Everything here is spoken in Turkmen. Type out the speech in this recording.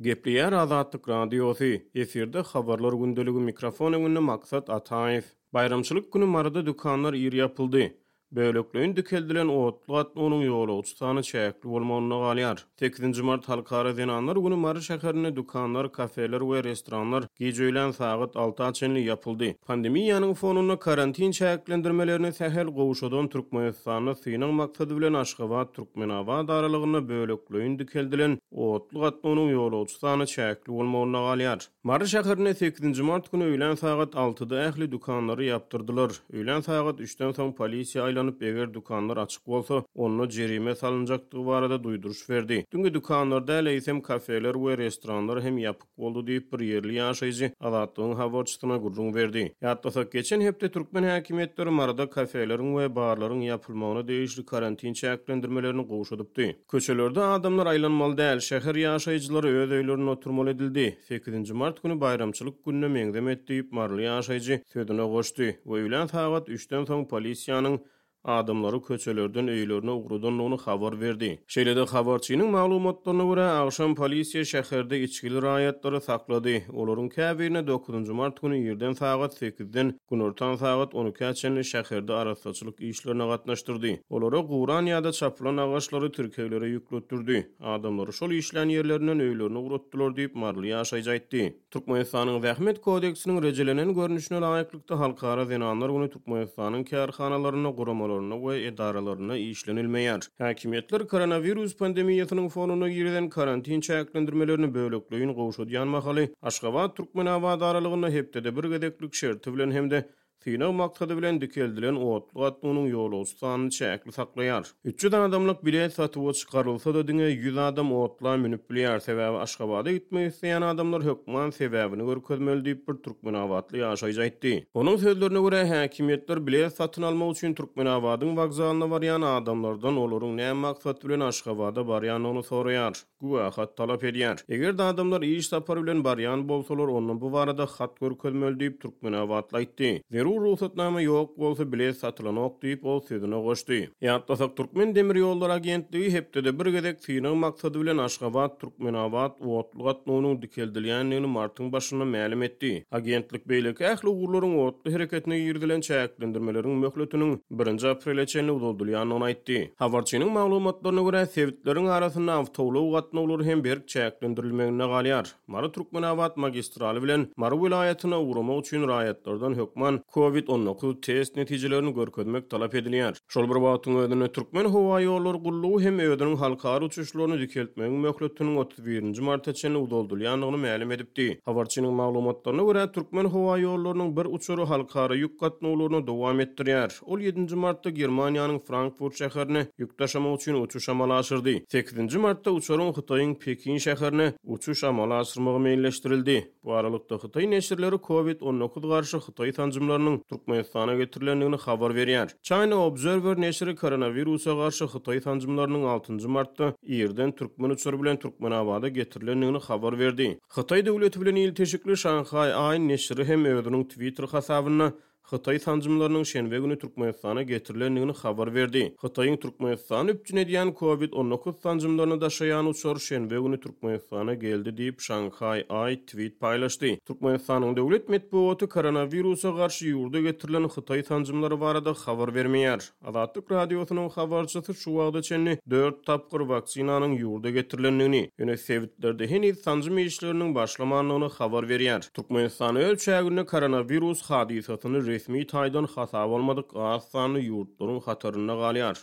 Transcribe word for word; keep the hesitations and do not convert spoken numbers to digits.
Gepleýär Azatlyk Radiosy, efirde Habarlar gündeligi, mikrofon öňünde Maksat Ataýew. Baýramçylyk güni Maryda dükanlar ir ýapyldy. Bölekleýin dikeldilen otly gatnawynyň ýolagçy sany çäkli bolmagynda galýar. Sekizinji mart Halkara zenanlar güni Mary şäherinde dükanlar, kafeler we restoranlar gije öýlän sagat alta çenli ýapyldy. Pandemiýanyň fonunda karantin çäklendirmelerini sähel gowşadan Türkmenistanda synag maksady bilen Aşgabat-Türkmenabat aralygynda bölekleýin dikeldilen otly gatnawynyň ýolagçy sany çäkli bolmagynda galýar. Mary şäherinde sekizinji mart güni öýlän sagat altyda ähli dükanlary ýapdyrdylar. Öýlän sagat üçden soň polisiýa aýlanyp, eger dükanlar açyk bolsa, onda jerime salynjakdygy barada duýduryş berdi. Diňe dükanlar däl, eýsem kafeler we restoranlar hem ýapyk boldy diýip bir ýerli ýaşaýjy Azatlygyň habarçysyna gürrüň berdi. Ýatlasak, geçen hepde türkmen häkimiýetleri Maryda kafeleriň we barlaryň ýapylmagyna degişli karantin çäklendirmelerini gowşadypdy. Köçelerde adamlar aýlanmaly däl, şäher ýaşaýjylary öz öýlerinde oturmaly edildi. Sekizinji mart güni baýramçylyk gününe meňzemet diýip maryly ýaşaýjy sözüne goşdy we öýlän sagat üçden soň polisiýanyň adamlary köçelerden öýlerine ugradandygyny habar berdi. Şeýle-de habarçynyň maglumatlaryna görä, agşam polisiýa şäherde içgili raýatlary saklady. Olaryň käbirine dokuzynjy mart güni irden sagat sekizden günortan sagat on ikä çenli şäherde arassaçylyk işlerine gatnaşdyrdy. Olara guran ýa-da çapylan agaçlary tirkeglere ýükletdirdi. Adamlary şol işlän ýerlerinden öýlerine ugratdylar diýip maryly ýaşaýjy aýtdy. Türkmenistanyň Zähmet kodeksiniň rejelenen görnüşine laýyklykda Halkara zenanlar güni Türkmenistanyň kärhanalarynda, guramalarynda we edaralarynda işlenilmeýär. Häkimiýetler koronawirus pandemiýasynyň fonunda girizen karantin çäklendirmelerini bölekleýin gowşadýan mahaly Aşgabat-Türkmenabat aralygynda hepdede bir gezeklik şerti bilen hem-de synag maksady bilen dikeldilen otly gatnawynyň ýolagçy sanyny çäkli saklaýar. Üç ýüz adamlyk bilet satuwa çykarylsa-da diňe ýüz adam otla münüp bilýär. Sebäbi Aşgabada gitmek isleýän adamlar hökman sebäbini görkezmeli diýip bir türkmenabatly ýaşaýjy aýtdy. Onuň sözlerine görä, häkimiýetler bilet satyn almak üçin Türkmenabadyň wokzalyna barýan adamlardan olaryň näme maksat bilen Aşgabada barýandygyny soraýar. Güwähat talap edýär. Eger-de adamlar iş sapary bilen barýan bolsalar, ondan bu barada hat görkezmeli diýip türkmenabatly aýtdy. Zerur rugsatnama ýok bolsa bilet satylanok diýip ol sözüne goşdy. Ýatlasak, Türkmen demir ýollary agentligi hepdede bir gezek synag maksady bilen Aşgabat Türkmenabat otly gatnawynyň dikeldilýändigini martyň başynda mälim etdi. Agentlik beýleki ähli ugurlaryň otly hereketine girizilen çäklendirmeleriň möhletiniň birinji aprele çenli uzaldylýandygyny aýtdy. Habarçynyň maglumatlaryna görä, sebitleriň arasynda awtoulag gatnawlary hem berk çäklendirilmeginde galýar. Mary Türkmenabat magistraly bilen Mary welaýatyna ugramak üçin raýatlardan hökman kovid on dokuz test netijelerini görkezmek talap edilýär. Şol bir wagtyň özünde Türkmen howa ýollary gullugy hem özüniň halkara uçuşlaryny dikeltmegiň möhletiniň otuz birinji marta çenli uzaldylýandygyny mälim edipdi. Habarçynyň maglumatlaryna görä, Türkmen howa ýollarynyň bir uçary halkara ýük gatnawlaryny dowam etdirýär. Ol ýedinji martda Germaniýanyň Frankfurt şäherine ýük daşamak üçin uçuş amala aşyrdy. Sekizinji martda uçaryň Hytaýyň Pekin şäherine uçuş amala aşyrmagy meýilleşdirildi. Bu aralykda Hytaý neşirleri kovid on dokuz garşy Hytaý sanjymlarynyň Türkmenistana getirilendigini habar berýär. China Observer neşiri koronawirusa garşy Hytaý sanjymlarynyň altynjy martda irden türkmen uçary bilen Türkmenabada getirilendigini habar berdi. Hytaý döwleti bilen ilteşikli Shanghai Aý neşiri hem özüniň Twitter hasabynda Hytaý sanjymlarynyň şenbe günü Türkmenistana getirilendigini habar berdi. Hytaýyň Türkmenistany üpjün edýän kovid on dokuz sanjymlaryny daşaýan uçar şenbe günü Türkmenistana geldi diýip Shanghai Aý tweet paýlaşdy. Türkmenistanyň döwlet metbugaty koronawirusa garşy ýurda getirilen Hytaý sanjymlary barada habar bermeýär. Azatlyk radiosynyň habarçysy şu wagta çenli dört tapgyr waksinanyň ýurda getirilendigini, ýöne sebitlerde heniz sanjym işleriniň başlamandygyny habar berýär. Türkmenistan öz çäginde koronawirus hadysasyny resmi taýdan hasap almadyk az sanly ýurtlaryň hatarynda galýar.